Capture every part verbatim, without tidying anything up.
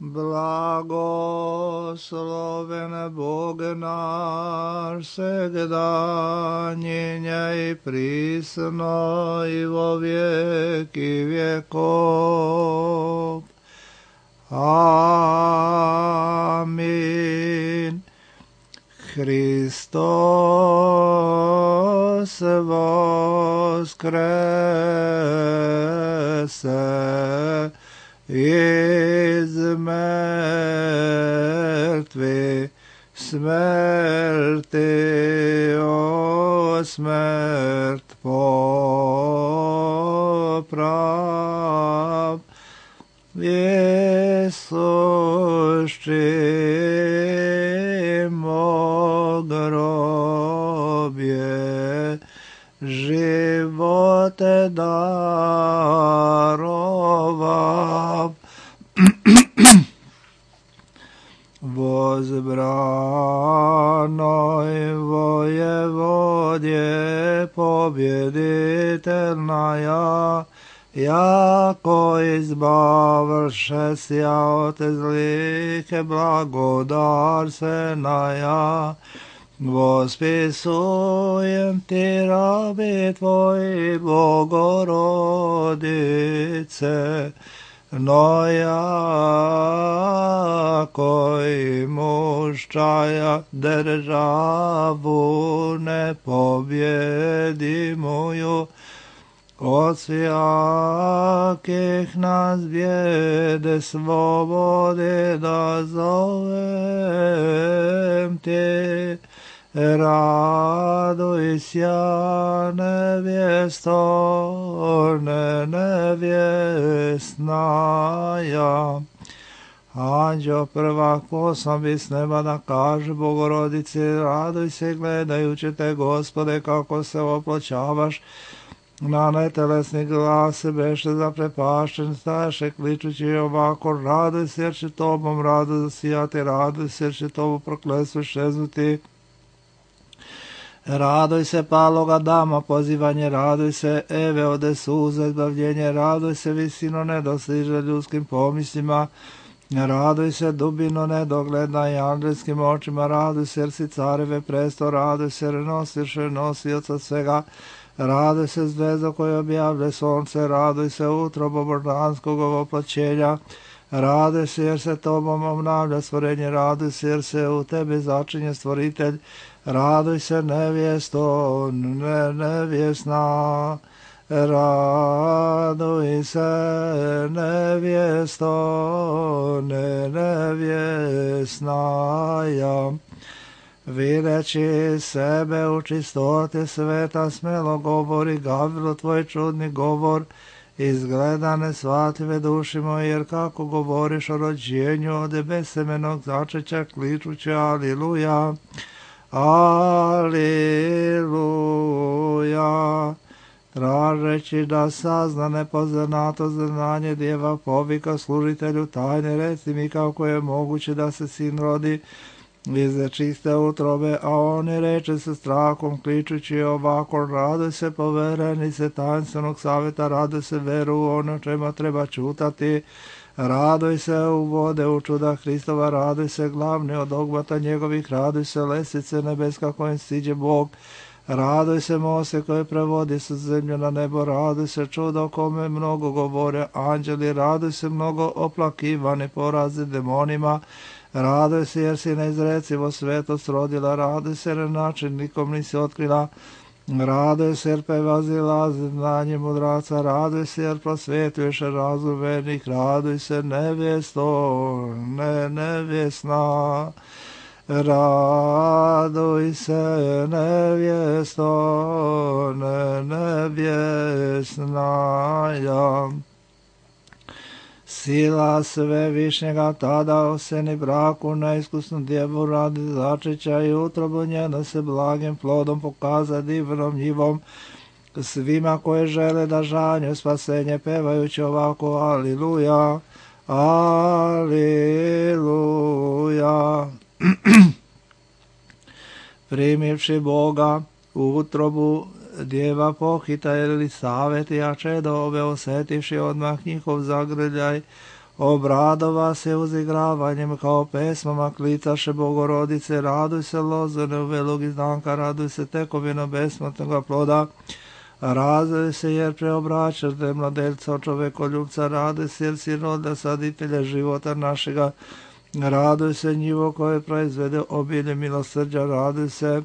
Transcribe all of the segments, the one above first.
Blagosloven Bog naš, segda njenja i prisno i vo vijeki vjekov. Amin. Hristos voskrese iz mrtvih, smrti o smrt poprav. Isušimo grobje, živote darovav. Возбранoj vojevodje pobjeditelnaja, jako izbavlše sja od zlike blagodarsenaja. Vospisujem ti rabi tvoji, Bogorodice, no jako i muščaja državu nepobjedimuju, od svjakih nas bijede slobode da zovem te. Raduj sja nevjesto, ne nevjesnaja. Anđeo prvak poslambi s neba da kaže Bogorodici, raduj se gledajući te, Gospode, kako se oploćavaš. Na netelesni glas beše zaprepašten, staše kličući ovako, raduj se jer će tobom rado zasijati, raduj se jer će tobu prokletstvo šeznuti. Raduj se paloga dama, pozivanje, raduj se Eve ode suza, izbavljenje, raduj se visino nedostiže ljudskim pomislima, raduj se dubino nedogledna i angelskim očima, raduj se jer si careve presto, raduj se jer nosiš nosioca svega, raduj se zvezdo koje objavlja sonce, raduj se utrobo božanskog ovoplaćenja, raduj se jer se tobom obnavlja stvorenje, raduj se jer se u tebi začinje stvoritelj, raduj se nevjesto, ne nevjesna, raduj se nevjesto, ne nevjesnaja. Videći sebe u čistoti sveta, smelo govori Gavrilo tvoj čudni govor, izgleda nesvatljive duši moje, jer kako govoriš o rođenju od besemenog začeća, kličući aliluja, aliluja. Tražeći da sazna nepoznato znanje djeva povika služitelju tajne, reci mi kako je moguće da se sin rodi iz čiste utrobe, a oni reče se strahom, kličući ovako, raduj se poverenice tajnstvenog savjeta, raduj se veru u ono čemu treba čutati, raduj se u vode u čuda Hristova, raduj se glavni od dogmata njegovih, raduj se lesice nebeska kojim siđe Bog, raduj se Mose koji prevodi sa zemlju na nebo, raduj se čudo kome mnogo govore anđeli, raduj se mnogo oplakivani porazi demonima, raduj se jer si neizrecivo svetost rodila, raduj se jer način nikom nisi otkrila, raduj se jer prevazila znanje mudraca, raduj se jer prosvetuješ razum vernih, raduj se nevjesto, ne nevjesna, raduj se nevjesto, ne nevjesnaja. Sila svevišnjega tada oseni braku neiskusnu djevu radi začeća i utrobu njena se blagim plodom pokaza divnom njivom svima koje žele da žanju spasenje pevajući ovako aliluja, aliluja. Primivši Boga u utrobu djeva pohita ili saveti, a čedo ove osetivši odmah njihov zagrljaj, Obradova se uzigravanjem kao pesmama, klicaše Bogorodice, raduj se lozore uvelog iznanka, raduj se tekovino besmrtnoga ploda, raduj se jer preobraćaš te mladelca od čovekoljubca, raduj se jer si roda saditelja života našega, raduj se njivo koje proizvede obilje milosrđa, raduj se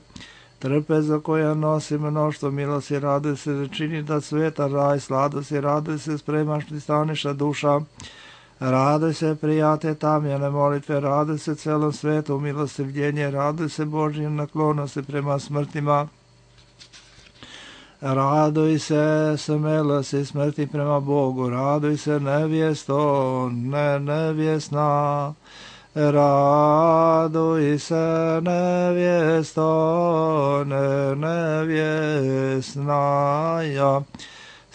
trpeza koja nosi mnoštvo milosti, raduj se da čini da sveta raj sladosti, raduj se spremaš ti staniša duša, raduj se prijate tamjene molitve, raduj se celom svetu milostivljenje, raduj se Božje naklonosti prema smrtima, raduj se smelosti smrti prema Bogu, raduj se nevjesto, ne nevjesna, raduj se nevjesto, ne nevjesnaja.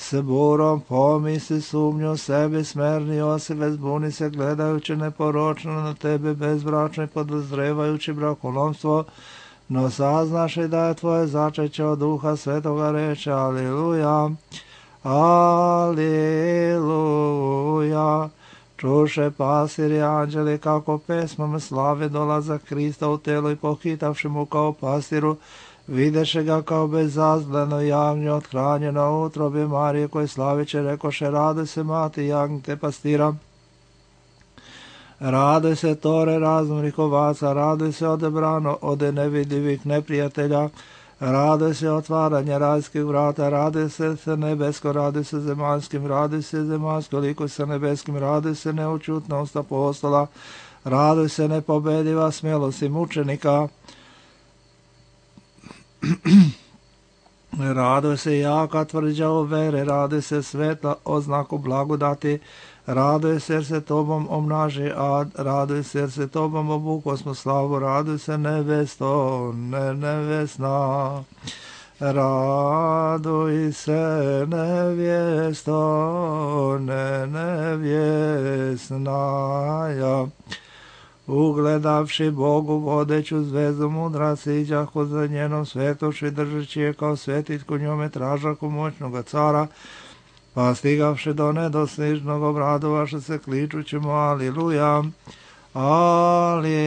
S burom pomisli sumnju sebi, smerni osebe, zbuni se gledajući neporočno na tebe, bezbračno i podozrevajući brakolomstvo, no saznaš i da je tvoje začeće od Duha Svetoga, reče Aliluja, Aliluja. Čuše pasiri anđeli kako pesmom slave dolazak Krista u telo i pohitavši mu kao pastiru, videše ga kao bezazleno javnje othranjeno u utrobi Marije, koje slaviće, rekoše, raduj se mati jagnjte pastira, raduj se tore razumnih ovaca, raduj se odebrano od nevidljivih neprijatelja, raduj se otvaranje rajskih vrata, raduj se se nebesko, raduj se zemaljskim, raduj se zemaljsko liko sa nebeskim, raduj se neučutnost apostola, raduj se nepobediva smjelosti mučenika, raduj se jaka tvrđa u vere, raduj se svetla oznaku blagodati, raduj se jer se tobom omnaži ad, raduj se jer se tobom obukosmo slavu, raduj se nevesto, ne nevesna, raduj se nevjesto, ne nevjesnaja. Ugledavši Bogu vodeću zvezdu mudra siđahu za njenom svetoši, držeći je kao svetitku njome tražaku moćnoga cara, pa stigavši do nedostižnog obradovaše se kličući mu Aliluja, Aliluja.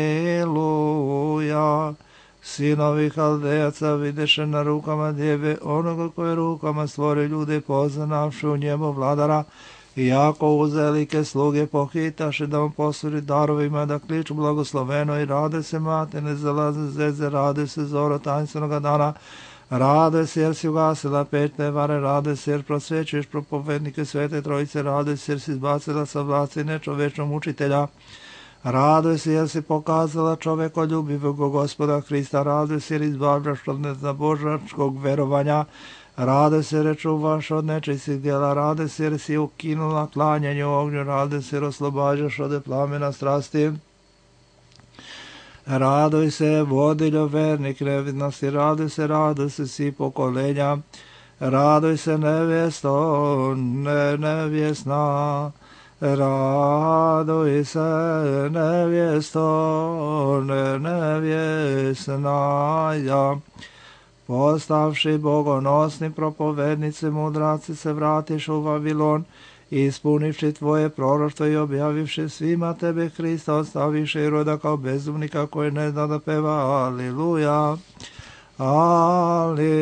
Sinovi Haldejaca videše na rukama djeve onoga koje rukama stvori ljude, poznavši u njemu vladara, iako uzelike sluge pohitaše da mu posuri darovima, da kliču blagosloveno i rade se mate, ne zalaze zeze, rade se zoro tanstvenoga dana, rade se jer si ugasila petne vare, rade se jer prosvećuješ propovednike Svete Trojice, rade se jer si izbacila sa vlasti nečovečnog učitelja, rade se jer si pokazala čovekoljubivog Gospoda Hrista, rade se jer izbavljaš od neznabožačkog verovanja, rade se jer čuvaš od nečistih djela, rade se jer si ukinula klanjanje u ognju, rade se jer oslobađaš od plamena strasti, raduj se vodiljo vernik nevidnosti, raduj se, raduj se svi pokolenja, raduj se nevjesto, ne nevjesna, raduj se nevjesto, ne nevjesnaja. Postavši bogonosni propovednici mudraci se vratiš u Vavilon, ispunivši tvoje proroštvo i objavivši svima tebe Hrista, ostaviši Iroda kao bezumnika koji ne zna da peva Aliluja, Aliluja.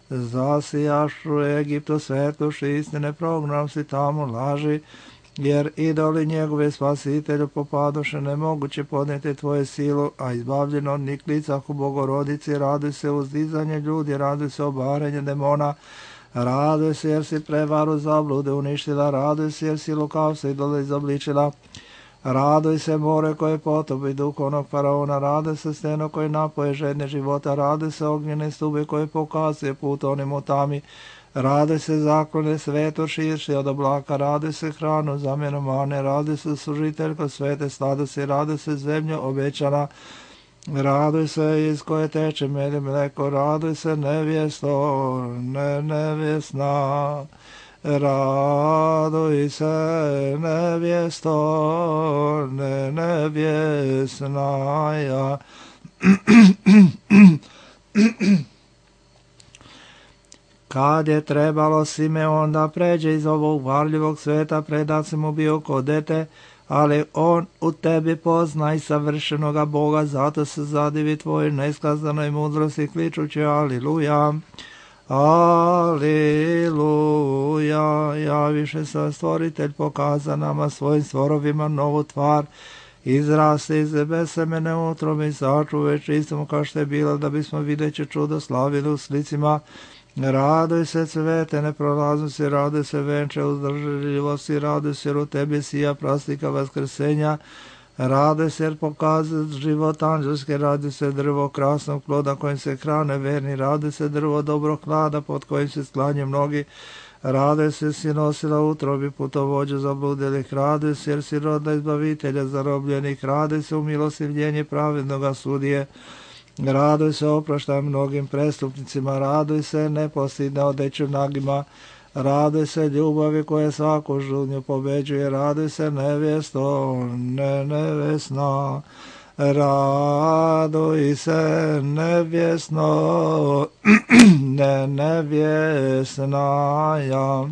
Zasijaš u Egiptu svetoši istine, program si tamo laži, jer idoli njegove spasitelju popadoše, nemoguće podnijeti tvoje silu, a izbavljeno od njih licah u Bogorodici, raduj se uzdizanje ljudi, raduj se obarenje demona, raduj se jer si prevaru zablude uništila, raduj se jer si lukavstvo idole izobličila, raduj se more koje potopi duhovnog faraona, raduj se steno koje napoje žedne života, raduj se ognjene stube koje pokazuje put onim u tami, raduj se zaklone sveto širši od oblaka, raduj se hranu zamjenu mane, raduj se služiteljko svete sladosti, raduj se zemlja obećana, raduj se iz koje teče med i mleko, raduj se nevjesto, ne nevjesna, raduj se nevjesto, ne nevjesnaja. Kad je trebalo Simeon da pređe iz ovog varljivog sveta, predat si mu bio ko dete, ali on u tebi pozna i savršenoga Boga, zato se zadivi tvojoj neskazanoj mudrosti, kličući aliluja, aliluja. Javiše se stvoritelj, pokaza nama svojim stvorovima novu tvar, izraste iz besemene utrobe i sačuve čistom kao što je bila, da bismo videći čudo slavili u slicima. Raduj se cvete neprolaznosti, raduj se venče uzdržljivosti, raduj se jer u tebi sija prastika vaskrsenja, raduj se jer pokazuje život anđelske, raduj se drvo krasnog ploda kojim se hrane verni, raduj se drvo dobrog hlada pod kojim se sklanje mnogi, raduj se si nosila utrobi putovođa zabludelih, raduj se jer si rodna izbavitelja zarobljenih, raduj se u milostivljenje pravednoga sudije, raduj se oproštaj mnogim prestupnicima, raduj se nepostidne odeću nagima, raduj se ljubavi koja svaku žudnju pobeđuje, raduj se nevjesto, ne nevjesna, raduj se nevjesno, ne nevjesna ja.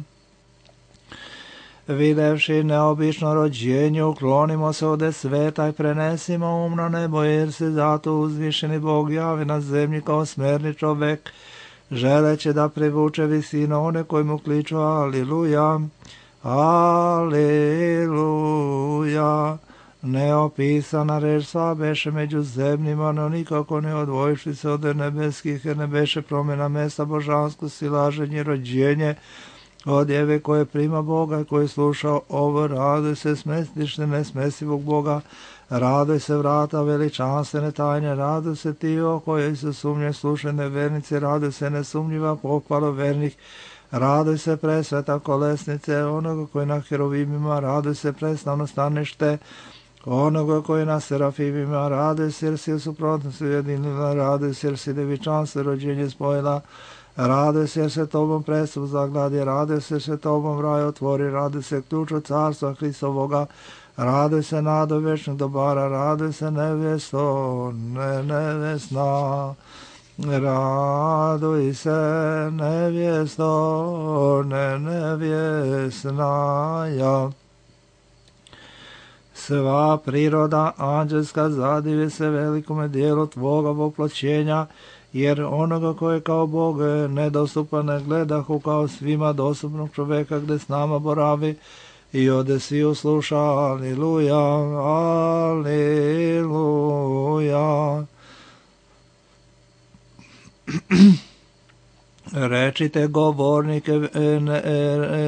Videvši neobično rođenje, uklonimo se ode sveta i prenesimo um na nebo, jer se zato uzvišeni Bog javi na zemlji kao smerni čovek, želeći da privuče visino one koji mu kliču aliluja, aliluja. Neopisana reč sva beše među zemljima, no nikako ne odvojiši se od nebeskih, jer ne beše promjena mesta božansko, silaženje, rođenje, od jeve koje prima Boga, koji sluša ovo, raduj se smestište nesmesivog Boga, raduj se vrata veličanstvene tajne, raduj se ti o kojoj se sumnje slušene vernice, raduj se nesumnjiva pohvalo vernih, raduj se presveta kolesnice onoga koji na herovimima, raduj se preslavno stanište onoga koji na serafimima, raduj se jer si u suprotnosti ujedinila, raduj se jer si devičanstvo rođenje spojila, raduj se jer se tobom prestup zagladi, raduj se jer se tobom raj otvori, raduj se ključu carstva Hristovoga, raduj se nado večnog dobara, raduj se nevjesto, ne nevjesna, raduj se nevjesto, ne nevjesna ja. Sva priroda anđelska zadivi se velikome dijelu tvoga voploćenja, jer onoga koje kao Bog nedostupan ne gledahu kao svima dostupnog čoveka gde s nama boravi i ode svi usluša aliluja, aliluja. Rečite govornike ne,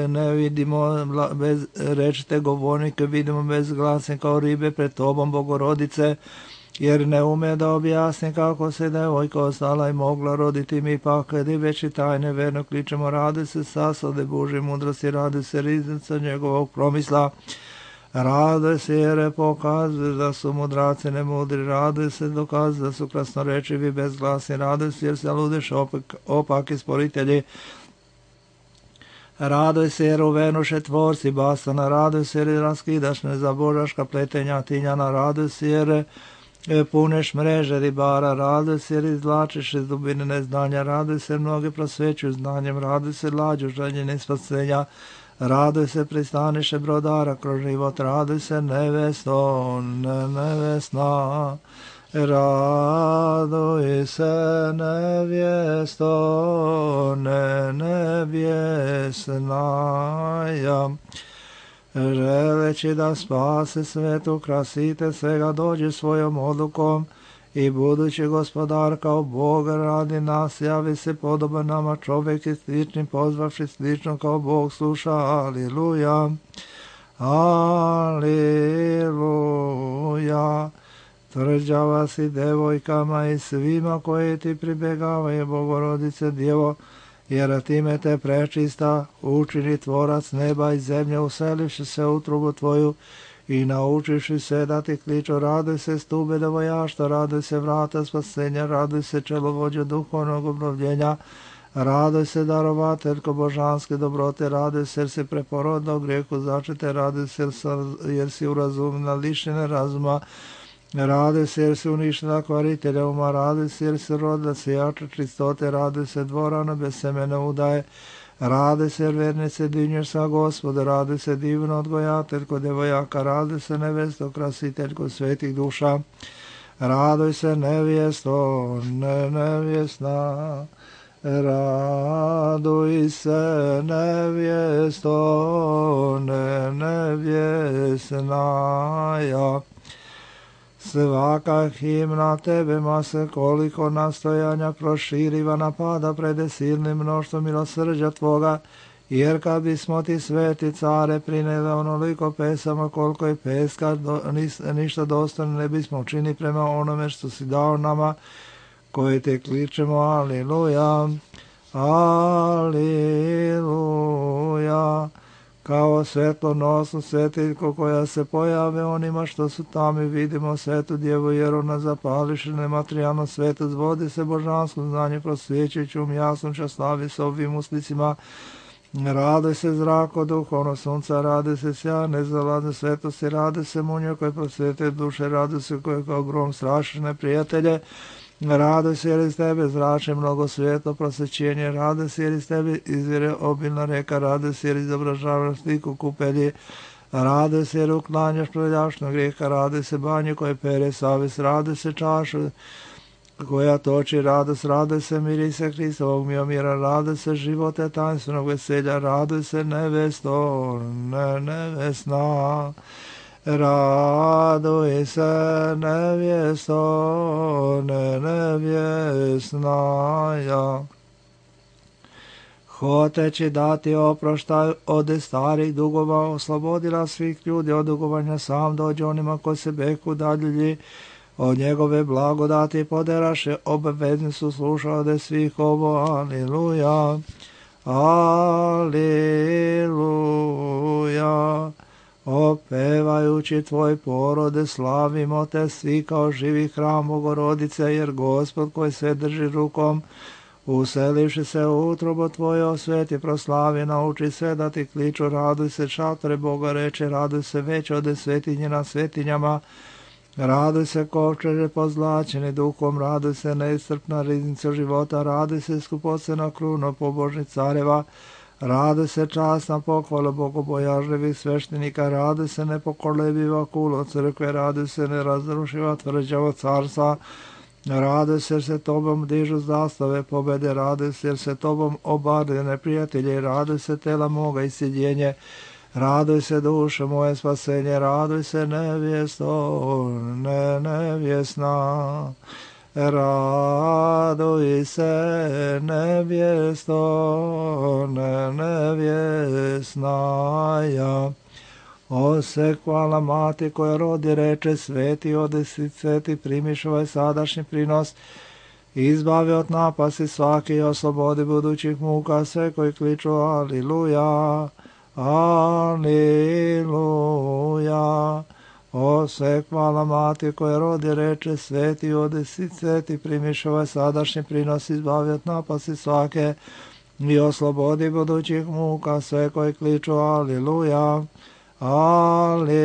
ne vidimo bez, rečite govornike vidimo bez glasne kao ribe pred tobom Bogorodice, jer ne ume da objasni kako se devojka ostala i mogla roditi, mi pak kad i već i tajne verno kličemo, radi se sasade Božje mudrosti, radi se riznica njegovog promisla, rade se jer pokazuje da su mudraci nemudri, rade se dokazuje da su krasnorečivi bezglasni, rade se jer se ludeš opak, opaki sporitelji, raduj se jer uvenuše tvorci bastana, raduj se jer raskidaš nezabožaška pletenja tinjana, raduj se jer puneš mreže ribara, raduj se jer izvlačiš iz dubine neznanja, raduj se jer mnogi prosvećuju znanjem, raduj se lađu željenje spasenja, raduj se pristaniše brodara kroz život, raduj se nevesto, ne nevesna, raduj se nevjesto, ne nevjesna ja. Želeći da spase svetu, krasite svega, dođe svojom odlukom i budući gospodar kao Bog radi nas, javi se podoban nama čovjek i slični, pozvavši slično kao Bog sluša, aliluja, aliluja. Tvrđava si devojkama i svima koji ti pribjegavaju, Bogorodice Djevo, jer time te prečista učini tvorac neba i zemlje, uselivši se u utrubu tvoju i naučiši se da ti kliču, raduj se stube devojašta, raduj se vrata spasenja, raduj se čelovođa duhovnog obnovljenja, raduj se darovateljko božanske dobrote, raduj se jer si preporodna u grijehu začete, raduj se jer si urazumna lišene razuma, Raduj se jer se uništila kvaritelja uma, raduj se jer se rodila sijača čistote, raduj se dvorana bez semena udaje, raduj se jer vernice dinješ sa Gospode, raduj se divno odgojateljko devojaka, raduj se nevesto krasiteljko svetih duša, raduj se nevjesto, ne nevjesna, raduj se nevjesto, ne nevjesnaja. Svaka himna tebema se koliko nastojanja proširiva napada prede silnim mnoštvom milosrđa tvoga, jer kad bismo ti sveti care prineli onoliko pesama koliko je peska, do, ništa dostojno ne bismo učini prema onome što si dao nama, koji te kličemo, aliluja, aliluja. Kao svetlonosnu svetiljku koja se pojave onima što su tamo i vidimo svetu djevu, jer ona zapališe nematerijalno svetu, zvodi se božansko znanje prosvjećujući um jasnoća, slavi se ovim uslicima. Rade se zrako duhovno sunca, rade se sjajne zalade svetosti, rade se munje koje prosvjete duše, rade se koje kao grom strašiš neprijatelje, rade se jer iz tebe zrače mnogo svjetlo prosvećenje, rade se jer iz tebe izvire obilna reka, rade se jer izobražavaš sliku kupelji, rade se jer uklanjaš preljašnog grijeha, rade se banje koje pere savjest, rade se čaša koja toči radost, rade se mirise Hristovog mira, rade se živote tajnstvenog veselja, rade se nevesto, ne nevesna, raduj se nevjesto, ne nevjesnaja. Hoteći dati oproštaj od starih dugova, oslobodila svih ljudi od dugovanja, sam dođe onima koji se beku dalji, od njegove blagodati poderaše, obavezni su slušali svih ovo, aliluja, aliluja. Opevajući tvoj porode, slavimo te svi kao živi hram Bogorodice, jer Gospod koji sve drži rukom, uselivši se u utrobo tvoje, osveti, proslavi, nauči sve da ti kliču, raduj se šatore Boga reče, raduj se već ode svetinje na svetinjama, raduj se kovčeže pozlačeni duhom, raduj se neiscrpna riznica života, raduj se skupocena kruna pobožnih careva, raduj se časna pohvala bogobojažljivih sveštenika, raduj se nepokolebiva kulo crkve, raduj se nerazrušiva tvrđava carstva, raduj se jer se tobom dižu zastave pobede, raduj se jer se tobom obarde neprijatelji, raduj se tela moga i sjedjenje, raduj se duše moje spasenje, raduj se nevjesto, ne nevjesna, raduj se nevjesto, ne nevjesnaja. O se hvala mati koja rodi reče, sveti odesi, sveti primiš ovaj sadašnji prinos, izbavi od napasti svaki i oslobodi budućih muka sve koji kliču aliluja, aliluja. O sve hvala mati koja rodi reče, sveti odesi, sveti primiš ovaj sadašnji prinos, izbavi od napasti svake i oslobodi budućih muka sve koji kliču aliluja, aliluja.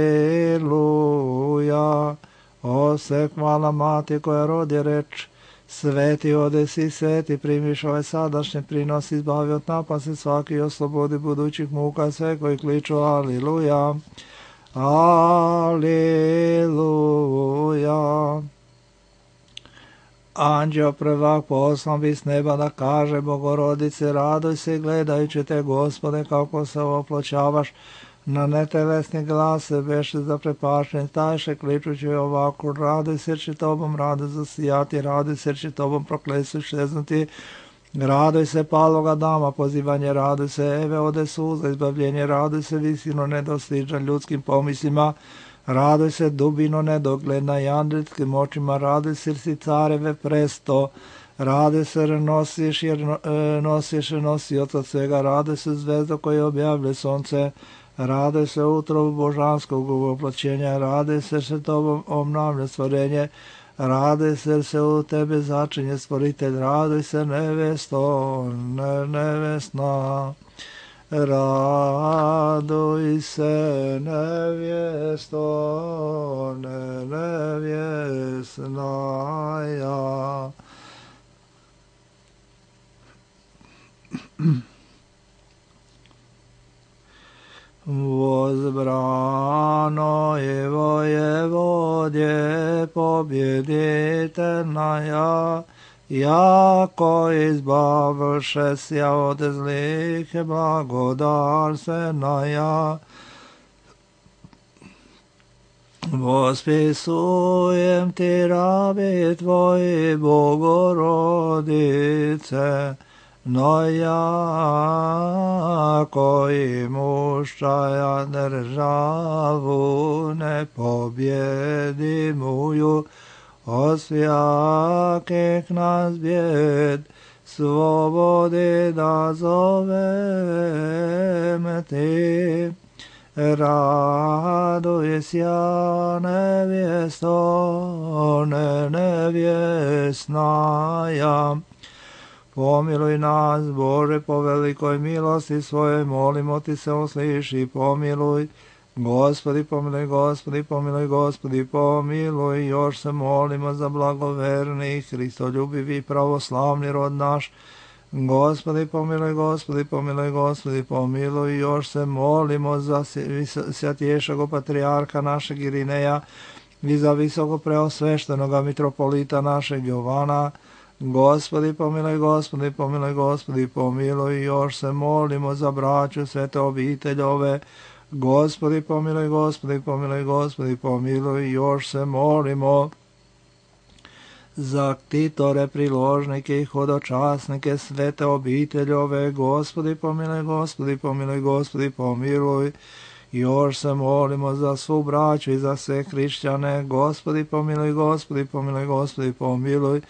O se hvala mati koja rodi reč, sveti odesi, sveti primiš ovaj sadašnji prinos, izbavi od napasti svaki i oslobodi budućih muka sve koji kliču aliluja, aliluja. Anđeo prvak poslan bi s neba da kaže Bogorodice, raduj se gledajući te Gospode kako se oploćavaš, na netelesni glas se beše zaprepašen, tajše kličući ovako, raduj se jer će tobom raduj zasijati, raduj se jer će tobom proklesu šeznuti, raduj se paloga dama pozivanje, raduj se Eve ode suza izbavljenje, raduj se visino nedostižan ljudskim pomislima, raduj se dubino nedogledna i andritskim očima, raduj se jer si careve presto, raduj se jer nosiš, jer nosiš nosioca svega, raduj se zvezdo koje objavlje sonce, raduj se utrobu božanskog uvoplaćenja, raduj se se tobom obnavlja stvorenje, raduj se jer se u tebe začinje stvoritelj, raduj se nevesto, ne nevesna, Raduj se, nevjesto, nevjesnaja. Возбрано и воеводе победительная, яко избавшеся от злых благодарственная, восписуем ти, раби твои, Богородице, но яко имущая державу непобедимую, от всяких нас бед, свободы дозовем ти. Радуйся, невесто, невесная. Помилуj nas, Bože, po velikoj milosti svojoj, molimo ti se, usliši, pomiluj. Gospodi, pomiluj, Gospodi, pomiluj, Gospodi, pomiluj. Još se molimo za blagoverni, hristoljubivi, pravoslavni rod naš. Gospodi, pomiluj, Gospodi, pomiluj, Gospodi, pomiluj. Još se molimo za svjatješeg patrijarha našeg Irineja i za visoko preosveštenoga mitropolita našeg Jovana. Gospodi, pomiluj, Gospodi, pomiluj, Gospodi, pomiluj. Još se molimo za braću svete obiteljove. Gospodi, pomiluj, Gospodi, pomiluj, Gospodi, pomiluj. Još se molimo za ktitore, priložnike i hodočasnike svete obiteljove. Gospodi, pomiluj, Gospodi, pomiluj, Gospodi, pomiluj. Još se molimo za svu braću i za sve hrišćane. Gospodi, pomiluj, Gospodi, pomiluj, Gospodi, pomiluj.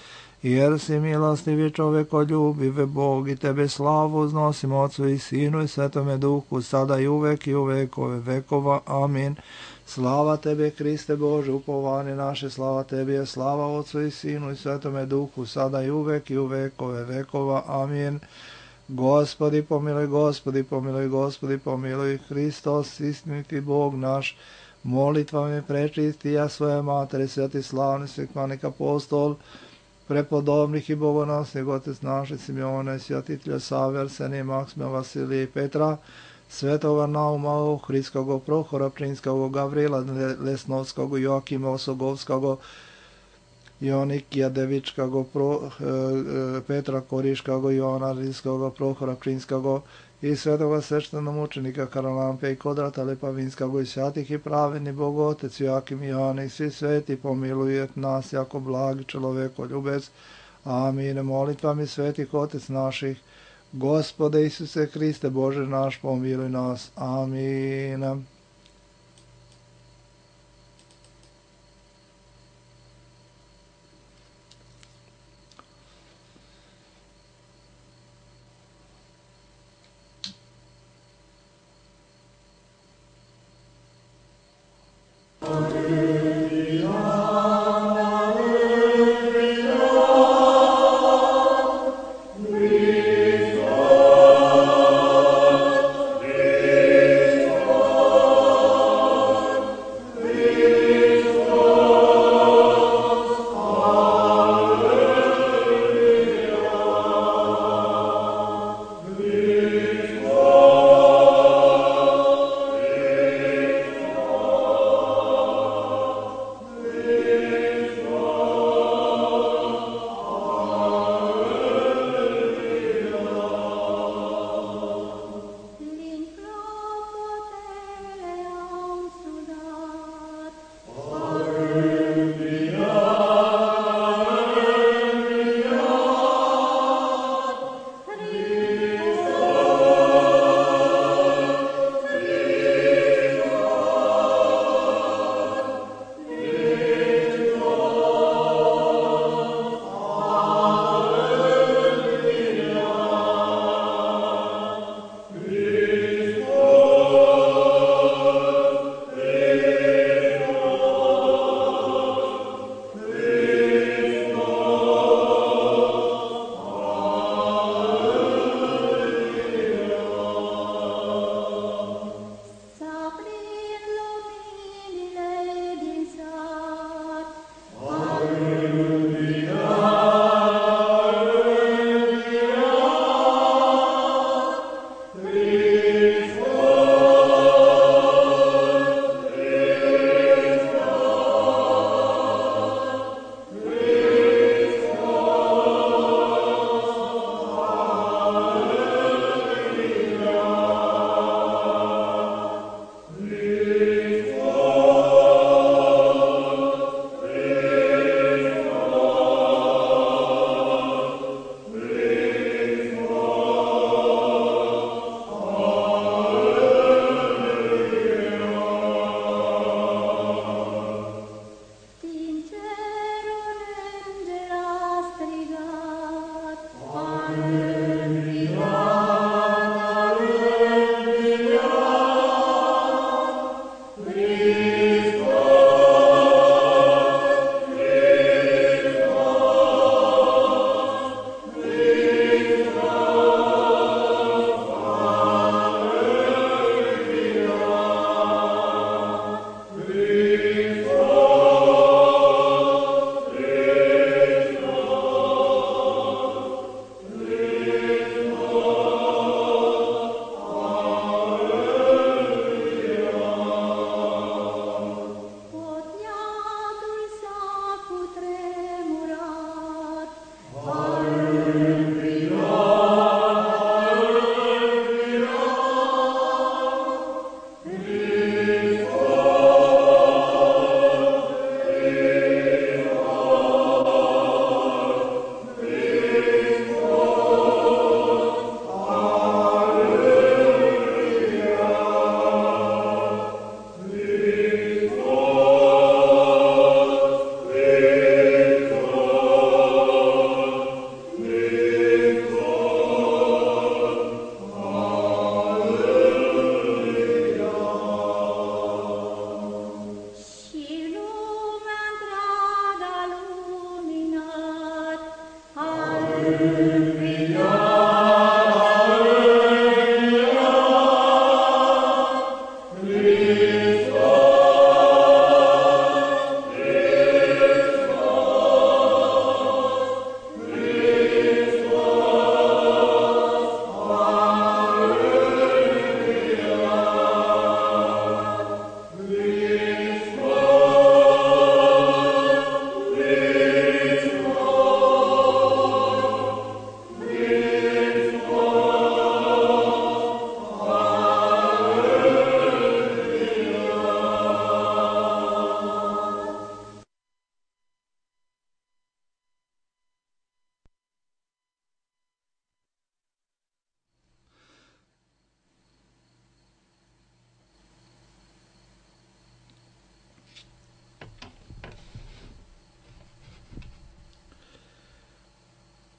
Jer si milostivi čovekoljubive Bog i tebe slavu uznosimo Otcu i Sinu i Svetome Duhu, sada i uvek i u vekove vekova. Amin. Slava tebe, Hriste Bože, upovanje naše, slava tebi je, slava Otcu i Sinu i Svetome Duhu, sada i uvek i u vekove vekova. Amin. Gospodi, pomiluj, Gospodi, pomiluj, Gospodi, pomiluj. Hristos, istiniti Bog naš, molitvami prečisti ja svoje matere, sveti slavni svećenik apostol, prepodobnih i bogonosnih otec naše Simeona, svjatitelja Save, Arsenija, Maksima, Vasilija i Petra, svetoga Nauma, Ohridskog, Prohora, Prinskog, Gavrila, Lesnovskog, Joakima Osogovskog, Jonikija Devičkog, Pro, Petra Koriškog, Joana Rilskog, Prohora Prinskog i svetoga sveštenomučenika Karalampe i Kodrata Lepavinskog i svятih i pravedni Bog Otec Joakim i Joana i svi sveti pomilujet nas jako blagi čovekoljubec. Amin. Molitvami svetih Otec naših, Gospode Isuse Hriste Bože naš, pomiluj nas. Amin. Oh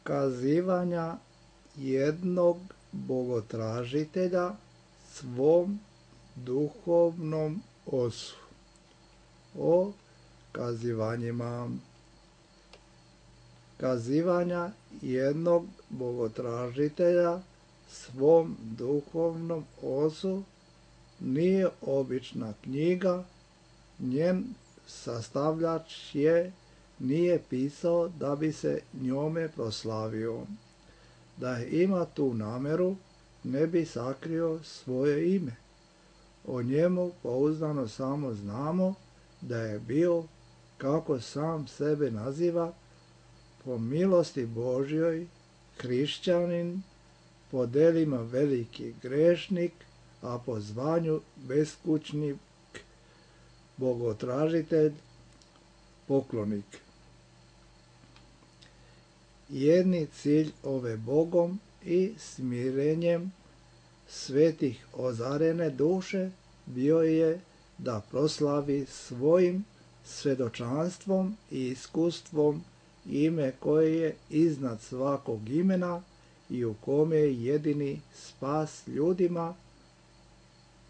kazivanja jednog bogotražitelja svom duhovnom ocu. O kazivanjima. Kazivanja jednog bogotražitelja svom duhovnom ocu nije obična knjiga, njen sastavljač je nije pisao da bi se njome proslavio. Da ima tu nameru, ne bi sakrio svoje ime. O njemu pouzdano samo znamo da je bio, kako sam sebe naziva, po milosti Božjoj, hrišćanin, po delima veliki grešnik, a po zvanju beskućnik, bogotražitelj, poklonik. Jedni cilj ove Bogom i smirenjem svetih ozarene duše bio je da proslavi svojim svedočanstvom i iskustvom ime koje je iznad svakog imena i u kome je jedini spas ljudima.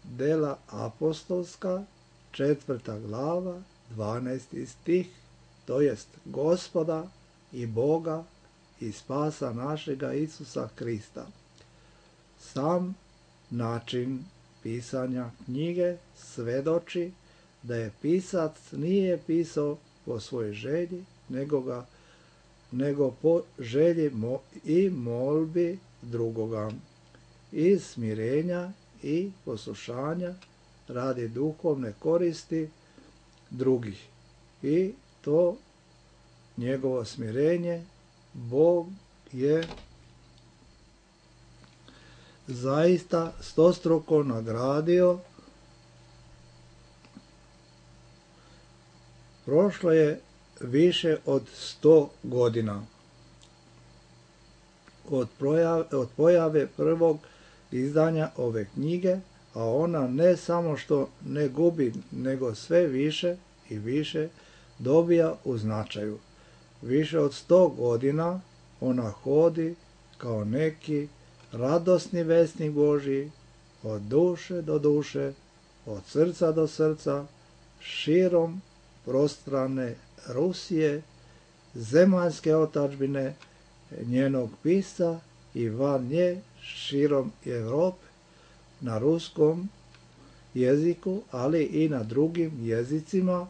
Dela apostolska, četvrta glava, dvanaesti stih, to jest Gospoda i Boga i spasa našega Isusa Krista. Sam način pisanja knjige svedoči da je pisac nije pisao po svojoj želji, nego, ga, nego po želji mo, i molbi drugoga, iz smirenja i poslušanja radi duhovne koristi drugih. I to njegovo smirenje Bog je zaista stostruko nagradio. Prošlo je više od sto godina od, projave, od pojave prvog izdanja ove knjige, a ona ne samo što ne gubi, nego sve više i više dobija u značaju. Više od sto godina ona hodi kao neki radosni vesnik Božji, od duše do duše, od srca do srca, širom prostrane Rusije, zemaljske otadžbine, njenog pisca i van nje širom Europe, na ruskom jeziku, ali i na drugim jezicima,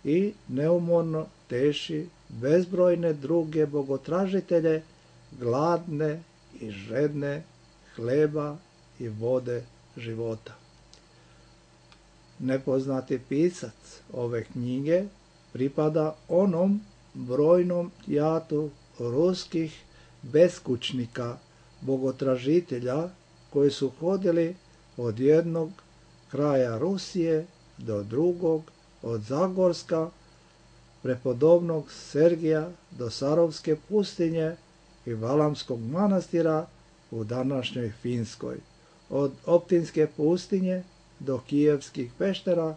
i neumorno teši bezbrojne druge bogotražitelje, gladne i žedne hleba i vode života. Nepoznati pisac ove knjige pripada onom brojnom jatu ruskih beskućnika, bogotražitelja, koji su hodili od jednog kraja Rusije do drugog, od Zagorska, prepodobnog Sergija do Sarovske pustinje i Valamskog manastira u današnjoj Finskoj, od Optinske pustinje do Kijevskih peštera,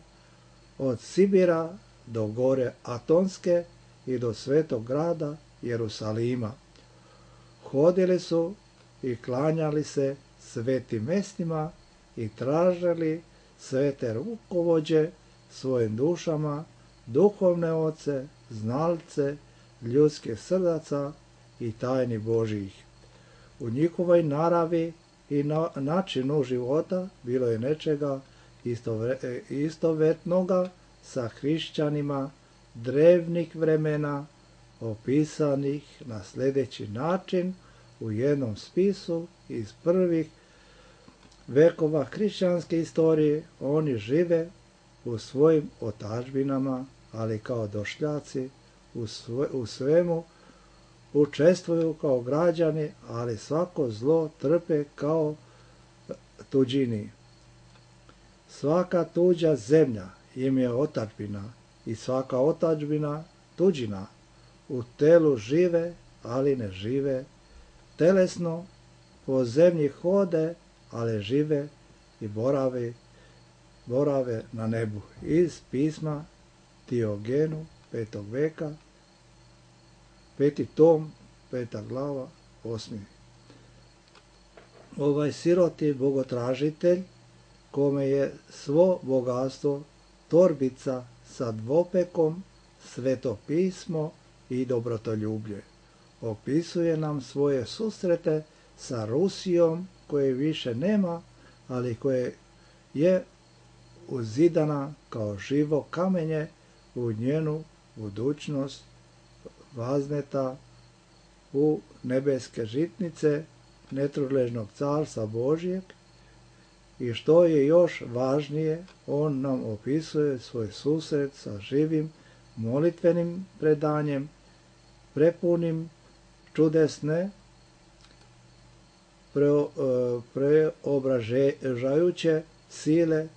od Sibira do gore Atonske i do svetog grada Jerusalima. Hodili su i klanjali se svetim mestima i tražili svete rukovođe svojim dušama, duhovne oce, znalce, ljudske srdaca i tajni Božjih. U njihovoj naravi i na, načinu života bilo je nečega istove, istovetnoga sa hrišćanima drevnih vremena, opisanih na sljedeći način u jednom spisu iz prvih vekova hrišćanske istorije. Oni žive u svojim otadžbinama, ali kao došljaci, u, sve, u svemu učestvuju kao građani, ali svako zlo trpe kao tuđini. Svaka tuđa zemlja im je otadžbina i svaka otadžbina tuđina. U telu žive, ali ne žive. Telesno po zemlji hode, ali žive i borave, borave na nebu. Iz pisma Diogenu petog veka, peti tom, peta glava, osmi. Ovaj siroti bogotražitelj, kome je svo bogatstvo torbica sa dvopekom, sveto pismo i dobrotoljublje. Opisuje nam svoje susrete sa Rusijom koje više nema, ali koje je uzidana kao živo kamenje u njenu budućnost vazneta u nebeske žitnice netrugležnog carstva Božjeg. I što je još važnije, on nam opisuje svoj susret sa živim molitvenim predanjem, prepunim čudesne, preobražajuće sile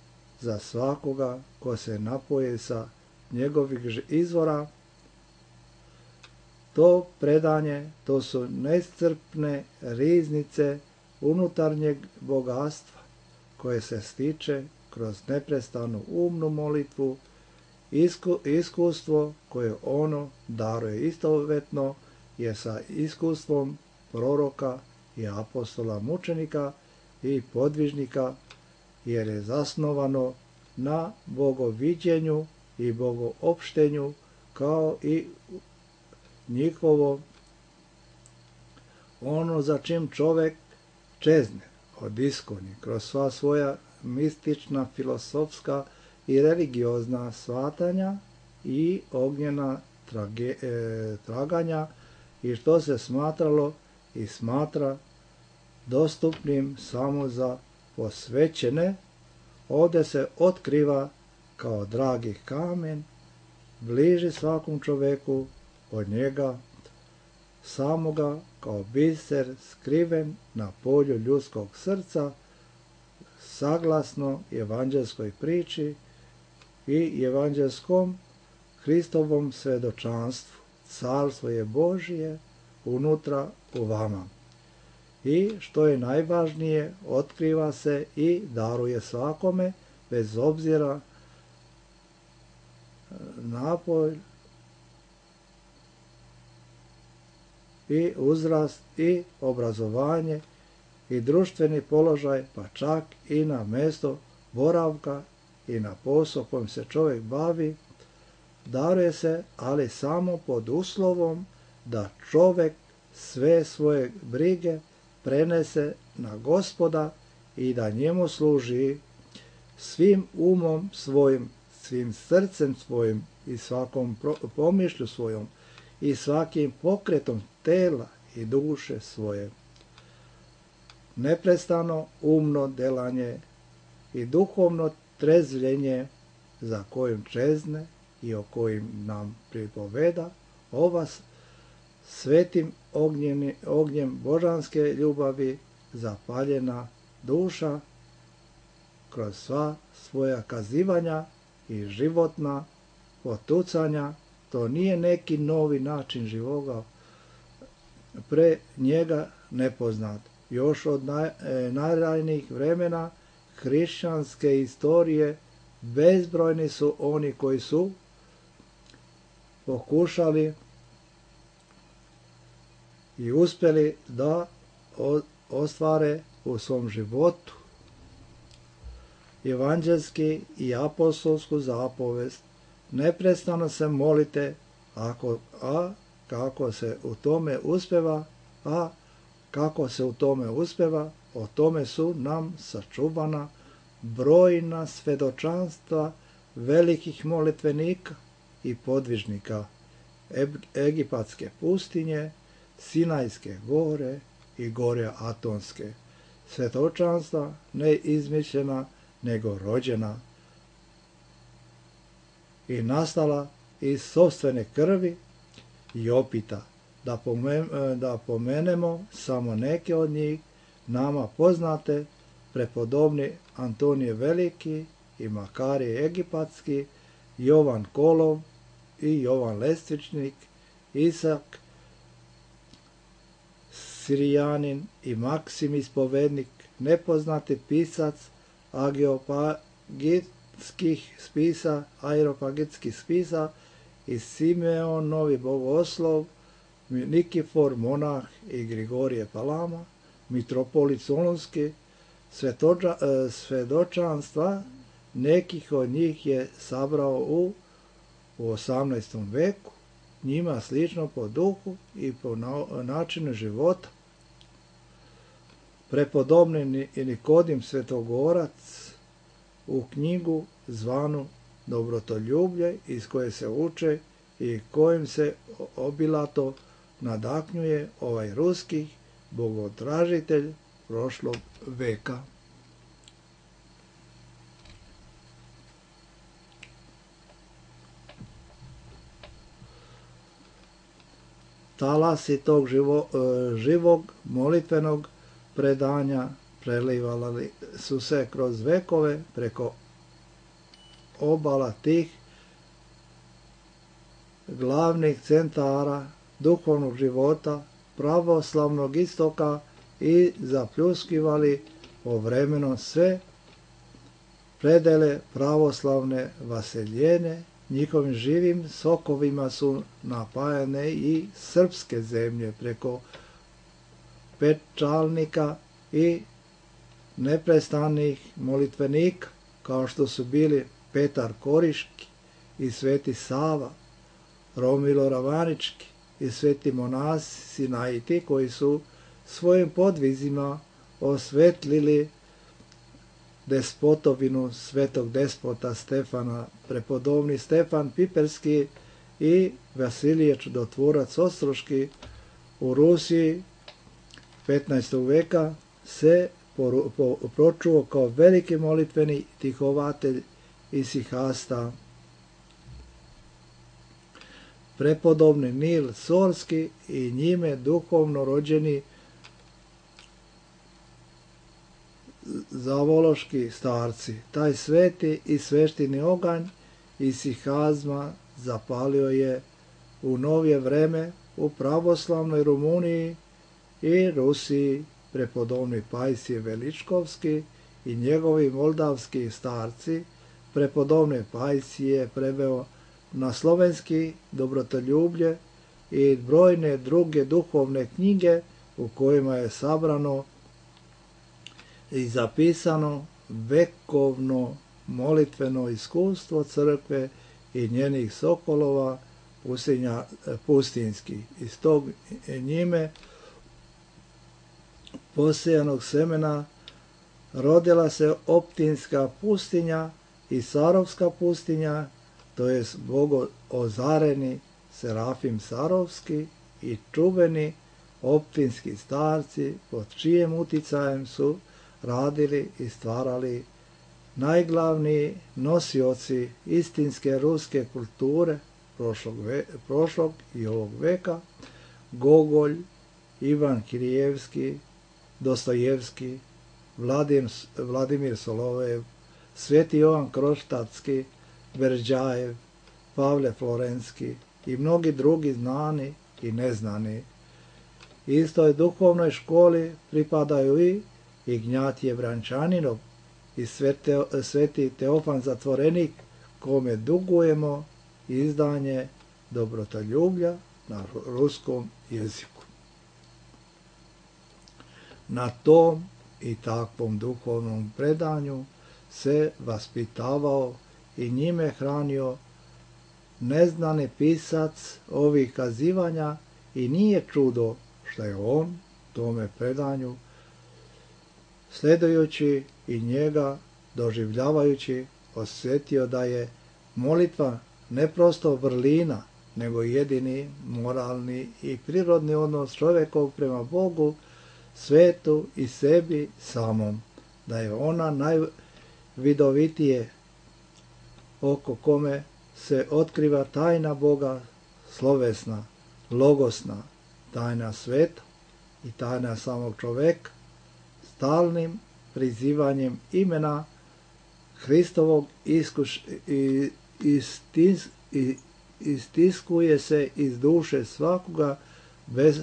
za svakoga ko se napoji sa njegovih izvora. To predanje, to su neiscrpne riznice unutarnjeg bogatstva koje se stiče kroz neprestanu umnu molitvu, isku, iskustvo koje ono daruje istovetno je sa iskustvom proroka i apostola mučenika i podvižnika, jer je zasnovano na bogoviđenju i bogoopštenju, kao i njihovo ono za čim čovek čezne od iskoni kroz sva svoja mistična, filosofska i religiozna shvatanja i ognjena trage, e, traganja, i što se smatralo i smatra dostupnim samo za posvećene, ovdje se otkriva kao dragi kamen, bliži svakom čoveku od njega samoga, kao biser skriven na polju ljudskog srca, saglasno evanđelskoj priči i evanđelskom Hristovom svedočanstvu. Carstvo je Božije unutra u vama. I što je najvažnije, otkriva se i daruje svakome, bez obzira napolj i uzrast i obrazovanje i društveni položaj, pa čak i na mesto boravka i na posao kojim se čovjek bavi. Daruje se, ali samo pod uslovom da čovjek sve svoje brige prenese na Gospoda i da njemu služi svim umom svojim, svim srcem svojim i svakom pomišlju svojom i svakim pokretom tela i duše svoje. Neprestano umno delanje i duhovno trezvljenje za kojim čezne i o kojim nam pripoveda ova svetim ognjeni, ognjem božanske ljubavi zapaljena duša kroz sva svoja kazivanja i životna potucanja. To nije neki novi način živoga, pre njega nepoznat. Još od naj, e, najranijih vremena hrišćanske istorije bezbrojni su oni koji su pokušali i uspjeli da ostvare u svom životu evanđelski i apostolsku zapovest. Neprestano se molite, ako, a kako se u tome uspeva, a kako se u tome uspeva, o tome su nam sačuvana brojna svedočanstva velikih molitvenika i podvižnika Egipatske pustinje, Sinajske gore i gore Atonske. Svjedočanstva ne izmišljena, nego rođena i nastala iz sopstvene krvi i opita. Da, pomen, da pomenemo samo neke od njih, nama poznate, prepodobni Antonije Veliki i Makarije Egipatski, Jovan Kolov i Jovan Lestvičnik, Isak Sirijanin i Maksim Ispovednik, nepoznati pisac ageopagitskih spisa, aeropagitskih spisa i Simeon Novi Bogoslov, Nikifor, monah i Grigorije Palama, mitropolit Solunski, svetoča, svedočanstva nekih od njih je sabrao u, u osamnaestom veku, njima slično po duhu i po načinu života. Prepodobni Nikodim Svetogorac u knjigu zvanu Dobrotoljublje, iz koje se uče i kojim se obilato nadahnjuje ovaj ruski bogotražitelj prošlog veka. Talasi tog živo, živog molitvenog predanja prelivali su se kroz vekove preko obala tih glavnih centara duhovnog života pravoslavnog istoka i zapljuskivali povremeno sve predele pravoslavne vaseljene. Njihovim živim sokovima su napajane i srpske zemlje preko pečalnika i neprestanih molitvenika, kao što su bili Petar Koriški i Sveti Sava, Romilo Ravanički i sveti monasi Sinaiti, koji su svojim podvizima osvetlili despotovinu svetog despota Stefana, prepodobni Stefan Piperski i Vasilije Čudotvorac Ostroški u Rusiji petnaestog veka se pročuo kao veliki molitveni tihovatelj isihasta. Prepodobni Nil Sorski i njime duhovno rođeni zavološki starci. Taj sveti i sveštini oganj isihazma zapalio je u novije vreme u pravoslavnoj Rumuniji i Rusiji. Prepodobni Pajsije Veličkovski i njegovi moldavski starci. Prepodobne Pajsije preveo na slovenski Dobrotoljublje i brojne druge duhovne knjige u kojima je sabrano i zapisano vekovno molitveno iskustvo crkve i njenih sokolova pustinja, pustinskih. Iz tog njime posejanog semena rodila se Optinska pustinja i Sarovska pustinja, to jest bogo ozareni Serafim Sarovski i čuveni optinski starci, pod čijem uticajem su radili i stvarali najglavniji nosioci istinske ruske kulture prošlog, ve, prošlog i ovog veka, Gogolj, Ivan Kirijevski, Dostojevski, Vladim, Vladimir Solovev, Sveti Jovan Kroštatski, Berđajev, Pavle Florenski i mnogi drugi znani i neznani. Istoj duhovnoj školi pripadaju i Ignjatije Brančaninov i svete, Sveti Teofan Zatvorenik, kome dugujemo izdanje Dobrotoljublja na ruskom jeziku. Na tom i takvom duhovnom predanju se vaspitavao i njime hranio neznani pisac ovih kazivanja i nije čudo što je on tome predanju, sledujući i njega doživljavajući, osjetio da je molitva ne prosto vrlina, nego jedini moralni i prirodni odnos čovjekov prema Bogu, svetu i sebi samom, da je ona najvidovitije oko kome se otkriva tajna Boga, slovesna, logosna, tajna sveta i tajna samog čoveka, stalnim prizivanjem imena Hristovog iskuš, i, istis, i, istiskuje se iz duše svakoga bez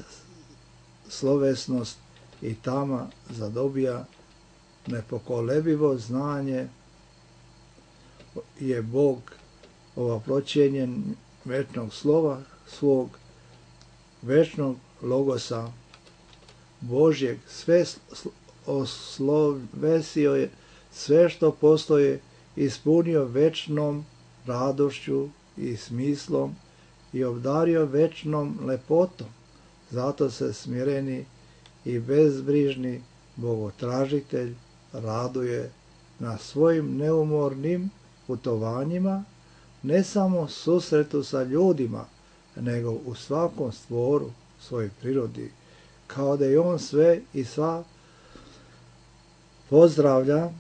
slovesnost i tama zadobija nepokolebivo znanje je Bog ovoproćenjen večnog slova svog večnog logosa Božjeg, sve oslovesio je, sve što postoje ispunio večnom radošću i smislom i obdario večnom lepotom. Zato se smireni i bezbrižni bogotražitelj raduje na svojim neumornim putovanjima, ne samo susretu sa ljudima, nego u svakom stvoru svojoj prirodi, kao da je on sve i sva pozdravlja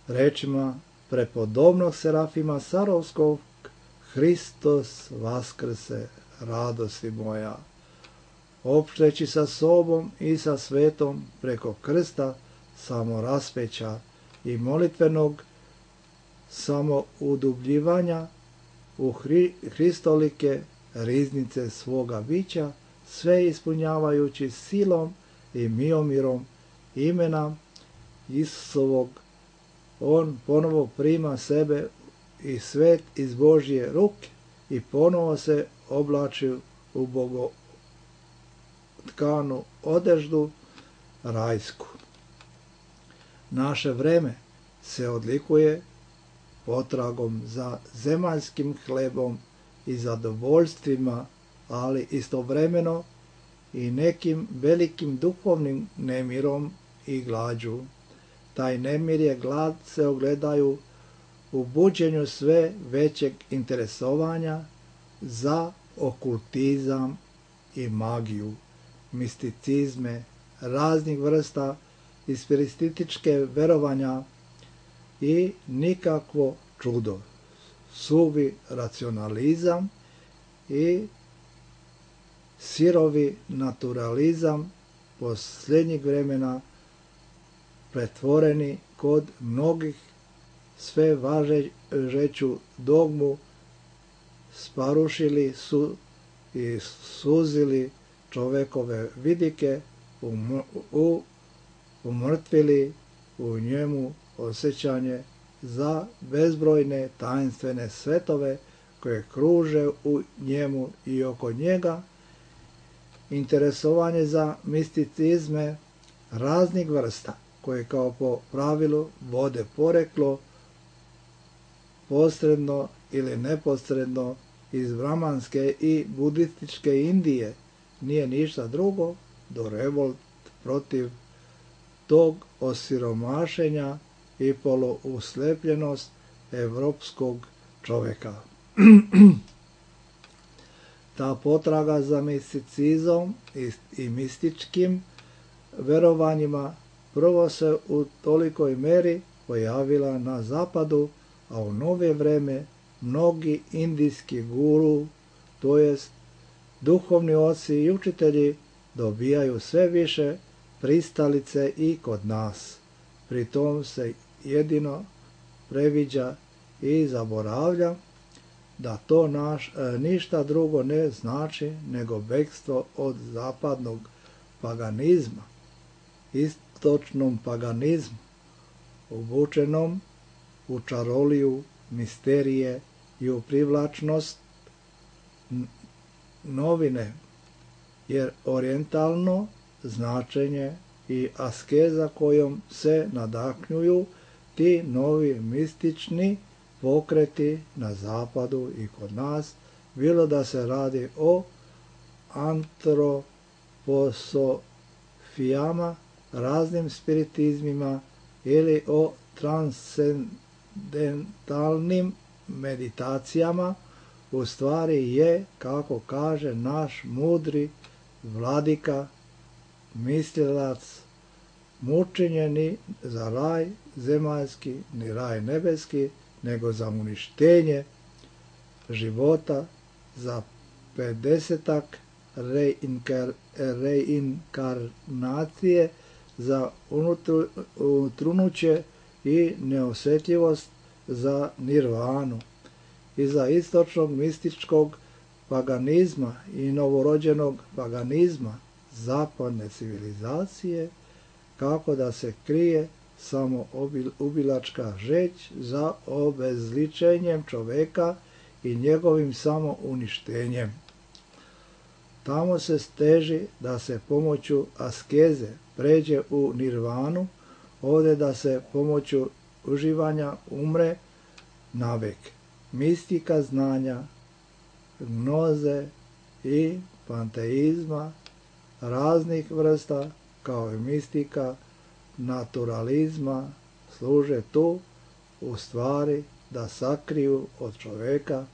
rečima prepodobnog Serafima Sarovskog: Hristos vaskrse, radosti moja. Opšteći sa sobom i sa svetom preko krsta samoraspeća i molitvenog samoudubljivanja u hri, hristolike riznice svoga bića, sve ispunjavajući silom i miomirom imena Isusovog, on ponovo prima sebe i svet iz Božje ruke i ponovo se oblači u bogotkanu odeždu rajsku. Naše vreme se odlikuje potragom za zemaljskim hlebom i zadovoljstvima, ali istovremeno i nekim velikim duhovnim nemirom i glađu. Taj nemir je glad se ogledaju u buđenju sve većeg interesovanja za okultizam i magiju, misticizme raznih vrsta i spiritističke verovanja i nikakvo čudo, suvi racionalizam i sirovi naturalizam posljednjeg vremena pretvoreni kod mnogih sve važeću dogmu sparušili su i suzili čovekove vidike, u, umrtvili u njemu osjećanje za bezbrojne tajinstvene svetove koje kruže u njemu i oko njega, interesovanje za misticizme raznih vrsta koje kao po pravilu vode poreklo posredno ili neposredno iz brahmanske i budističke Indije, nije ništa drugo do revolt protiv tog osiromašenja i poluuslepljenost evropskog čoveka. Ta potraga za misticizmom i, i mističkim verovanjima prvo se u tolikoj meri pojavila na zapadu, a u nove vreme mnogi indijski guru, to jest duhovni oci i učitelji, dobijaju sve više pristalice i kod nas. Pri tom se jedino previđa i zaboravlja da to naš, e, ništa drugo ne znači nego bekstvo od zapadnog paganizma, istočnom paganizmu, obučenom u čaroliju, misterije i u privlačnost novine, jer orijentalno značenje i askeza kojom se nadahnjuju ti novi mistični pokreti na zapadu i kod nas, bilo da se radi o antroposofijama, raznim spiritizmima ili o transcendentalnim meditacijama, u stvari je, kako kaže naš mudri vladika, mislilac, mučenje ni za raj zemaljski, ni raj nebeski, nego za uništenje života, za pedesetak reinkar, reinkarnacije, za utrunuće i neosjetljivost za nirvanu i za istočnog mističkog paganizma i novorođenog paganizma zapadne civilizacije, kako da se krije samo ubilačka žeć za obezličenjem čoveka i njegovim samo uništenjem. Tamo se teži da se pomoću askeze pređe u nirvanu, ovdje da se pomoću uživanja umre navek. Mistika znanja, gnoze i panteizma raznih vrsta, kao i mistika naturalizma, služe tu u stvari da sakriju od čoveka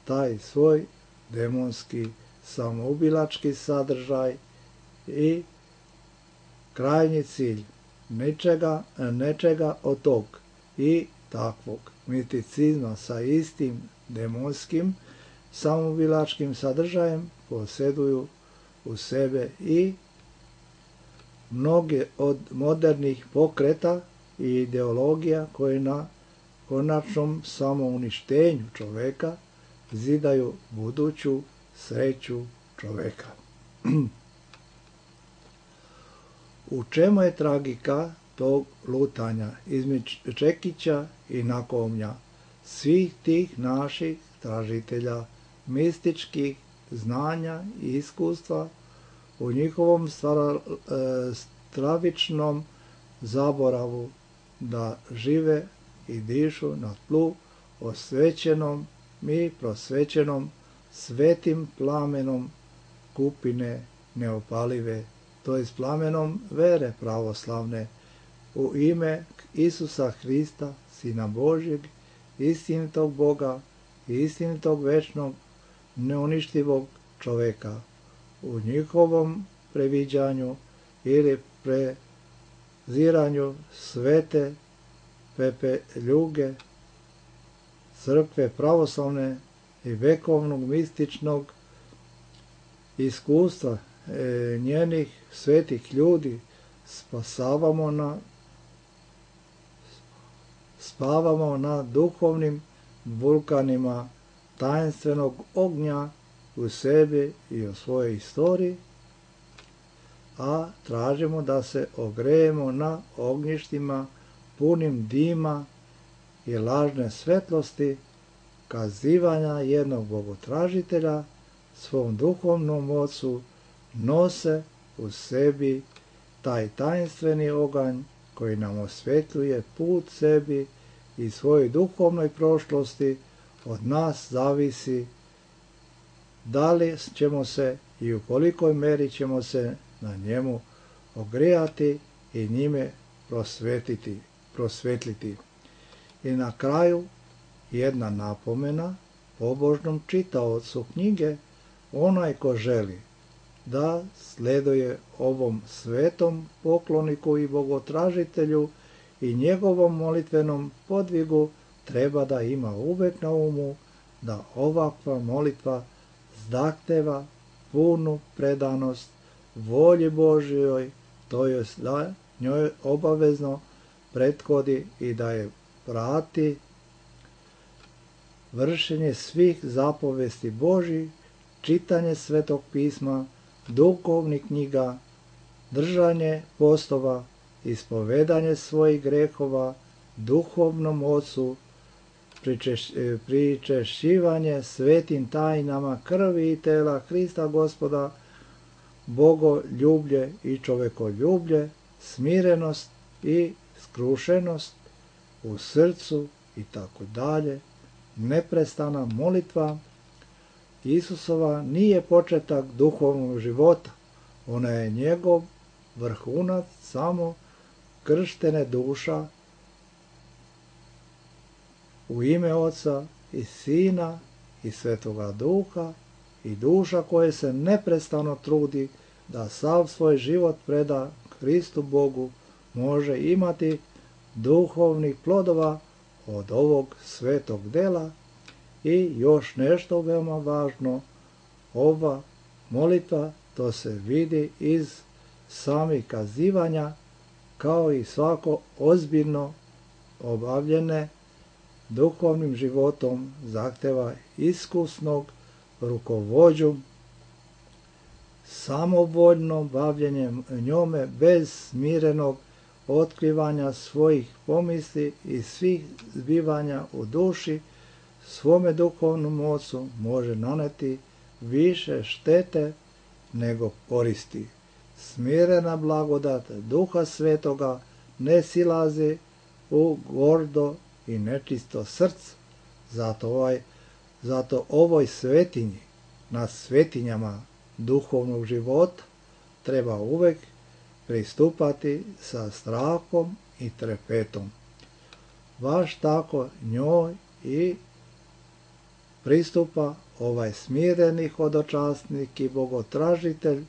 taj svoj demonski samoubilački sadržaj i krajnji cilj nečega, nečega od tog i takvog misticizma sa istim demonskim samoubilačkim sadržajem posjeduju u sebe i mnoge od modernih pokreta i ideologija koje na konačnom samouništenju čoveka zidaju buduću sreću čoveka. U čemu je tragika tog lutanja između čekića i nakovnja svih tih naših tražitelja mističkih znanja i iskustva u njihovom stravičnom zaboravu da žive i dišu na tlu osvećenom i prosvećenom svetim plamenom kupine neopalive, to je plamenom vere pravoslavne, u ime Isusa Hrista, Sina Božjeg, istinitog Boga i istinitog večnog, neuništivog čoveka. U njihovom previđanju ili preziranju svete pepeljuge crkve pravoslavne i vekovnog mističnog iskustva e, njenih svetih ljudi spasavamo na spavamo na duhovnim vulkanima tajenstvenog ognja u sebi i u svojoj istoriji, a tražimo da se ogrejemo na ognjištima punim dima i lažne svetlosti kazivanja jednog bogotražitelja svom duhovnom ocu nose u sebi taj tajinstveni oganj koji nam osvetljuje put sebi i svojoj duhovnoj prošlosti. Od nas zavisi da li ćemo se i u kolikoj meri ćemo se na njemu ogrijati i njime prosvetiti, prosvetliti. I na kraju jedna napomena pobožnom čitaocu knjige: onaj ko želi da sleduje ovom svetom pokloniku i bogotražitelju i njegovom molitvenom podvigu, treba da ima uvek na umu da ovakva molitva zahteva punu predanost volji Božjoj, to jest da njoj obavezno prethodi i da je prati vršenje svih zapovesti Božjih, čitanje Svetog pisma, duhovnih knjiga, držanje postova, ispovedanje svojih grehova duhovnom ocu, pričeš, pričešćivanje svetim tajnama krvi i tela Hrista Gospoda, bogoljublje i čovekoljublje, smirenost i skrušenost u srcu i tako dalje. Neprestana molitva Isusova nije početak duhovnog života, ona je njegov vrhunac samo krštene duša u ime Oca i Sina i Svetoga Duha, i duša koja se neprestano trudi da sav svoj život preda Hristu Bogu može imati duhovnih plodova od ovog svetog dela. I još nešto veoma važno, ova molitva, to se vidi iz samih kazivanja, kao i svako ozbiljno obavljene duhovnim životom zahteva iskusnog rukovođu, samovoljno bavljenjem njome bez smirenog otkrivanja svojih pomisli i svih zbivanja u duši, svome duhovnom ocu može naneti više štete nego koristi. Smirena blagodat Duha Svetoga ne silazi u gordo i nečisto srce. Zato, ovaj, zato ovoj svetinji, na svetinjama duhovnog života, treba uvek pristupati sa strahom i trepetom. Baš tako njoj i pristupa ovaj smireni hodočasnik i bogotražitelj,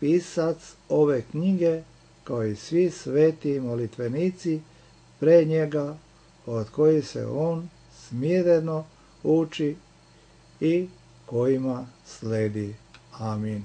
pisac ove knjige, kao i svi sveti molitvenici pre njega, od kojih se on smireno uči i kojima sledi. Amin.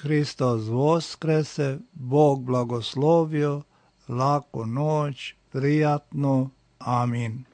Hristos voskrese, Bog blagoslovio, laku noć, prijatno, amin.